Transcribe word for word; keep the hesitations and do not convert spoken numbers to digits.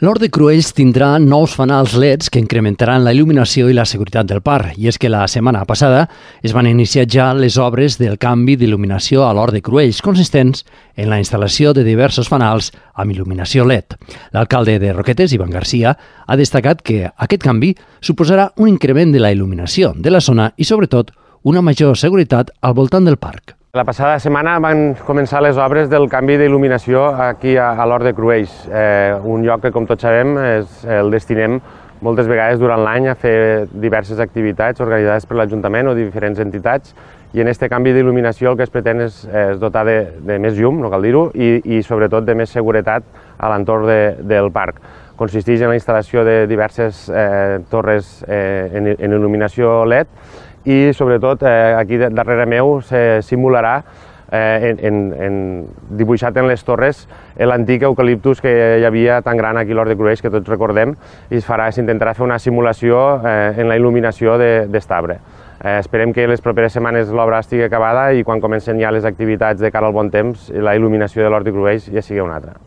L'Hort de Cruells tindrà nous fanals L E Ds que incrementaran la il·luminació i la seguretat del parc. I és que la setmana passada es van iniciar ja les obres del canvi d'il·luminació a l'Hort de Cruells, consistents en la instal·lació de diversos fanals amb il·luminació L E D. L'alcalde de Roquetes, Ivan Garcia, ha destacat que aquest canvi suposarà un increment de la il·luminació de la zona i, sobretot, una major seguretat al voltant del parc. La passada setmana van començar les obres del canvi d'il·luminació aquí a, a l'Hort de Cruells, eh, un lloc que, com tots sabem, és, el destinem moltes vegades durant l'any a fer diverses activitats organitzades per l'Ajuntament o diferents entitats, i en aquest canvi d'il·luminació el que es pretén és, és dotar de, de més llum, no cal dir-ho, i, i sobretot de més seguretat a l'entorn de, del parc. Consisteix en la instal·lació de diverses eh, torres eh, en, en il·luminació L E D, i sobretot eh, aquí darrere meu se simularà eh, en, en, en, dibuixat en les torres l'antic eucaliptus que hi havia tan gran aquí a l'Hort de Cruells, que tots recordem, i s'intentarà fer una simulació eh, en la il·luminació d'aquest arbre. Eh, esperem que les properes setmanes l'obra estigui acabada i quan comencen ja les activitats de cara al bon temps, la il·luminació de l'Hort de Cruells ja sigui una altra.